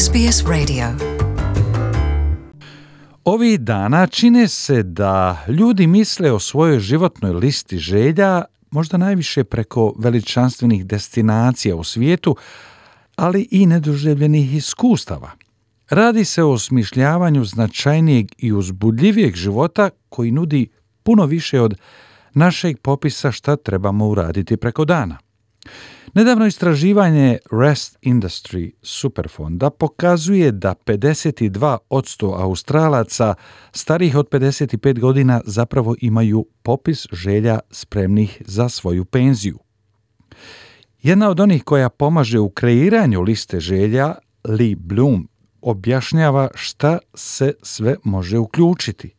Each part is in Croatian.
SBS Radio. Ovih dana čine se da ljudi misle o svojoj životnoj listi želja možda najviše preko veličanstvenih destinacija u svijetu, ali i nedoživljenih iskustava. Radi se o osmišljavanju značajnijeg i uzbudljivijeg života koji nudi puno više od našeg popisa šta trebamo uraditi preko dana. Nedavno istraživanje Rest Industry Superfonda pokazuje da 52% Australaca starijih od 55 godina zapravo imaju popis želja spremnih za svoju penziju. Jedna od onih koja pomaže u kreiranju liste želja, Lee Bloom, objašnjava šta se sve može uključiti.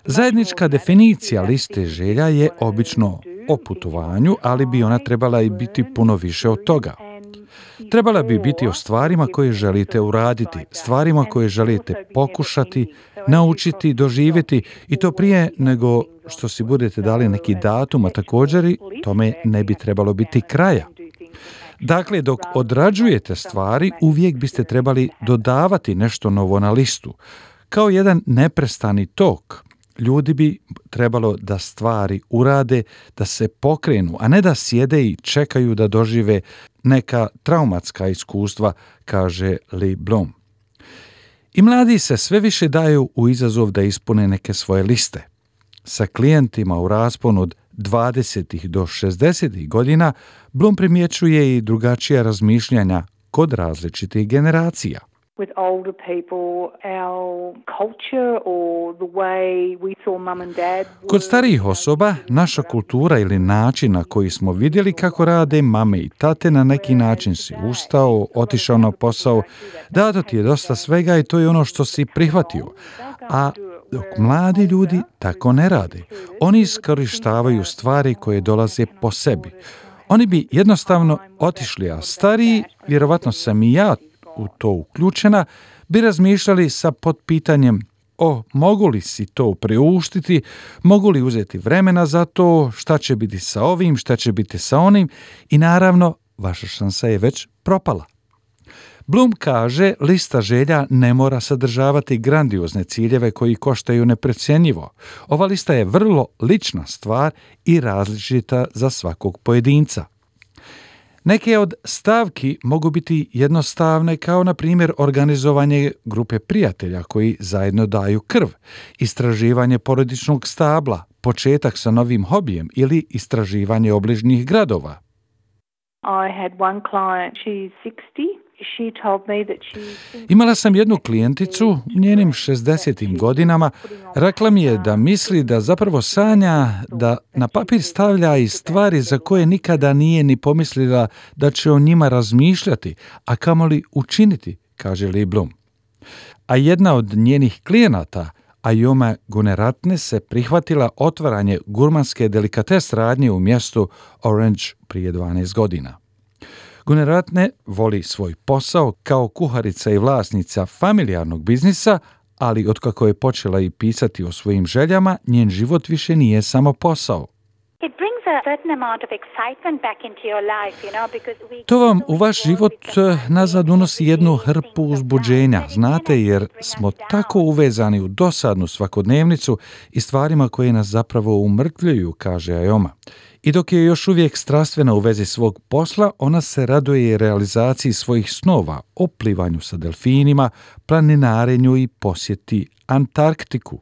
Zajednička definicija liste želja je obično o putovanju, ali bi ona trebala i biti puno više od toga. Trebala bi biti o stvarima koje želite uraditi, stvarima koje želite pokušati, naučiti, doživjeti i to prije nego što si budete dali neki datum, a također i tome ne bi trebalo biti kraja. Dakle, dok odrađujete stvari, uvijek biste trebali dodavati nešto novo na listu. Kao jedan neprestani tok, ljudi bi trebalo da stvari urade, da se pokrenu, a ne da sjede i čekaju da dožive neka traumatska iskustva, kaže Lee Bloom. I mladi se sve više daju u izazov da ispune neke svoje liste. Sa klijentima u rasponu od 20. do 60. godina Bloom primjećuje i drugačija razmišljanja kod različitih generacija. Kod starijih osoba, naša kultura ili način na koji smo vidjeli kako rade mame i tate, na neki način si ustao, otišao na posao, dato ti je dosta svega i to je ono što si prihvatio. A dok mladi ljudi tako ne rade, oni iskorištavaju stvari koje dolaze po sebi. Oni bi jednostavno otišli, a stariji, vjerovatno sam i ja u to uključena, bi razmišljali sa potpitanjem: mogu li si to priuštiti, mogu li uzeti vremena za to, šta će biti sa ovim, šta će biti sa onim, i naravno vaša šansa je već propala. Bloom kaže, lista želja ne mora sadržavati grandiozne ciljeve koji koštaju neprocjenjivo. Ova lista je vrlo lična stvar i različita za svakog pojedinca. Neke od stavki mogu biti jednostavne, kao na primjer organizovanje grupe prijatelja koji zajedno daju krv, istraživanje porodičnog stabla, početak sa novim hobijem ili istraživanje obližnjih gradova. Imala sam jednu klijenticu, njenim 60. godinama, rekla mi je da misli da zapravo sanja da na papir stavlja i stvari za koje nikada nije ni pomislila da će o njima razmišljati, a kamoli učiniti, kaže Lee Bloom. A jedna od njenih klijenata, Ayoma Guneratne, se prihvatila otvaranje gurmanske delikates radnje u mjestu Orange prije 12 godina. Guneratne voli svoj posao kao kuharica i vlasnica familijarnog biznisa, ali otkako je počela i pisati o svojim željama, njen život više nije samo posao. To vam u vaš život nazad unosi jednu hrpu uzbuđenja, znate, jer smo tako uvezani u dosadnu svakodnevnicu i stvarima koje nas zapravo umrtvljuju, kaže Ayoma. I dok je još uvijek strastvena u vezi svog posla, ona se raduje realizaciji svojih snova, o plivanju sa delfinima, planinarenju i posjeti Antarktiku.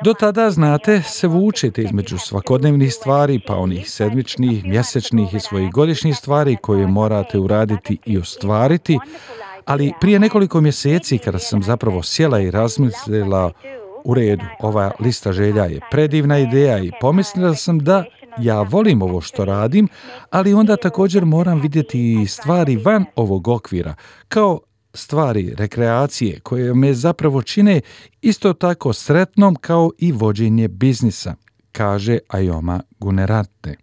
Do tada, znate, se vučete između svakodnevnih stvari, pa onih sedmičnih, mjesečnih i svojih godišnjih stvari koje morate uraditi i ostvariti, ali prije nekoliko mjeseci, kada sam zapravo sjela i razmislila, u redu, ova lista želja je predivna ideja, i pomislila sam da ja volim ovo što radim, ali onda također moram vidjeti i stvari van ovog okvira, kao stvari rekreacije koje me zapravo čine isto tako sretnom kao i vođenje biznisa, kaže Ayoma Guneratne.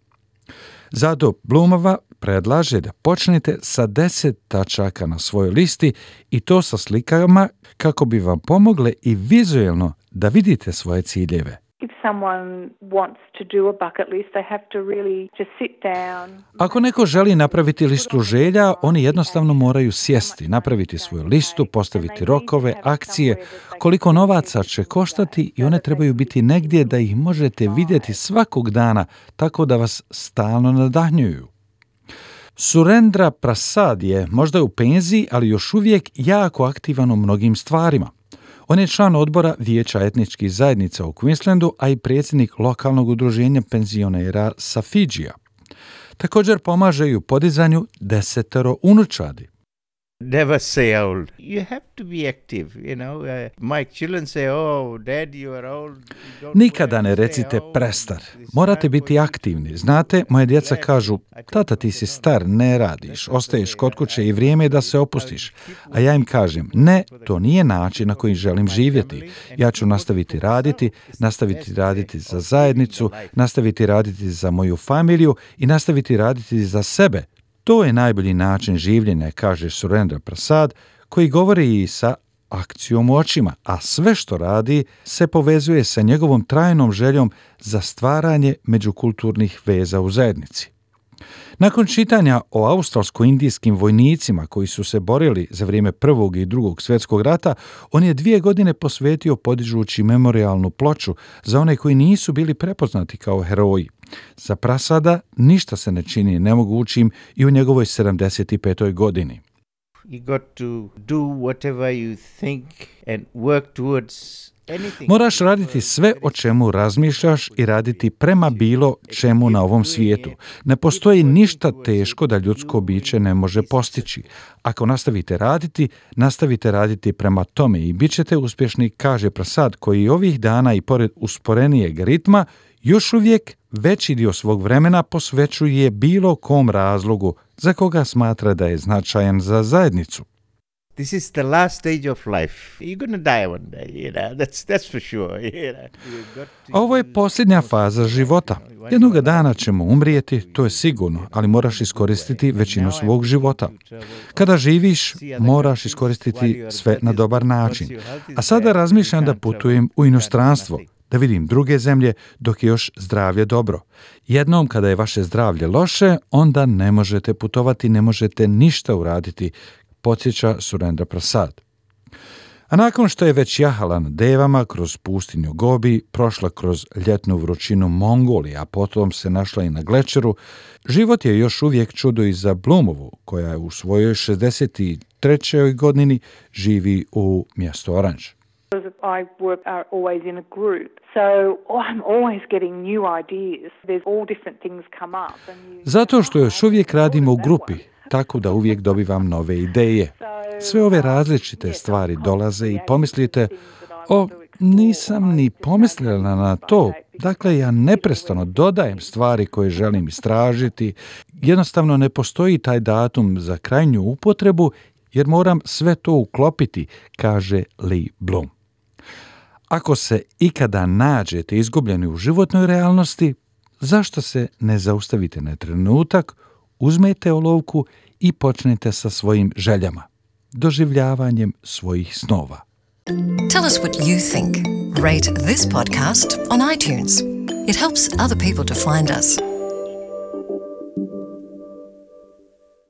Zato Bloomova predlaže da počnete sa 10 tačaka na svojoj listi, i to sa slikama kako bi vam pomogle i vizuelno da vidite svoje ciljeve. If someone wants to do a bucket list, they have to really just sit down. Ako neko želi napraviti listu želja, oni jednostavno moraju sjesti, napraviti svoju listu, postaviti rokove, akcije, koliko novaca će koštati i one trebaju biti negdje da ih možete vidjeti svakog dana, tako da vas stalno nadahnjuju. Surendra Prasad je možda u penziji, ali još uvijek jako aktivan u mnogim stvarima. On je član odbora Vijeća etničkih zajednica u Queenslandu, a i predsjednik lokalnog udruženja penzionera sa Fidžija. Također pomaže i u podizanju 10 unučadi. Never say old. You have to be active, you know. My children say, oh, dad, you are old. Nikada ne recite prestar. Morate biti aktivni. Znate, moje djeca kažu, tata, ti si star, ne radiš, ostaješ kod kuće i vrijeme je da se opustiš. A ja im kažem, ne, to nije način na koji želim živjeti. Ja ću nastaviti raditi za zajednicu, nastaviti raditi za moju familiju i nastaviti raditi za sebe. To je najbolji način življenja, kaže Surendra Prasad, koji govori i sa akcijom u očima, a sve što radi se povezuje sa njegovom trajnom željom za stvaranje međukulturnih veza u zajednici. Nakon čitanja o australsko-indijskim vojnicima koji su se borili za vrijeme Prvog i Drugog svjetskog rata, on je 2 godine posvetio podižući memorijalnu ploču za one koji nisu bili prepoznati kao heroji. Za Prasada ništa se ne čini nemogućim i u njegovoj 75. godini. You got to do whatever you think and work towards. Moraš raditi sve o čemu razmišljaš i raditi prema bilo čemu na ovom svijetu. Ne postoji ništa teško da ljudsko biće ne može postići. Ako nastavite raditi prema tome i bit ćete uspješni, kaže Prasad, koji ovih dana i pored usporenijeg ritma još uvijek veći dio svog vremena posvećuje bilo kom razlogu za koga smatra da je značajan za zajednicu. This is the last stage of life. You're going to die one day, you know. That's for sure. You know. Ovo je posljednja faza života. Jednoga dana ćemo umrijeti, to je sigurno, ali moraš iskoristiti većinu svog života. Kada živiš, moraš iskoristiti sve na dobar način. A sada razmišljam da putujem u inostranstvo, da vidim druge zemlje dok je još zdravlje dobro. Jednom kada je vaše zdravlje loše, onda ne možete putovati, ne možete ništa uraditi, podsjeća Surendra Prasad. A nakon što je već jahala na devama kroz pustinju Gobi, prošla kroz ljetnu vrućinu Mongolije, a potom se našla i na glečeru, život je još uvijek čudo i za Bloomovu, koja je u svojoj 63. godini živi u mjestu Orange. I work always in a group, so I'm always getting new ideas. There's all different things come up. Zato što još uvijek radimo u grupi, tako da uvijek dobivam nove ideje. Sve ove različite stvari dolaze i pomislite, nisam ni pomislila na to. Dakle, ja neprestano dodajem stvari koje želim istražiti. Jednostavno ne postoji taj datum za krajnju upotrebu, jer moram sve to uklopiti, kaže Lee Bloom. Ako se ikada nađete izgubljeni u životnoj realnosti, zašto se ne zaustavite na trenutak, uzmete olovku i počnete sa svojim željama, doživljavanjem svojih snova. Tell us what you think. Rate this podcast on iTunes. It helps other people to find us.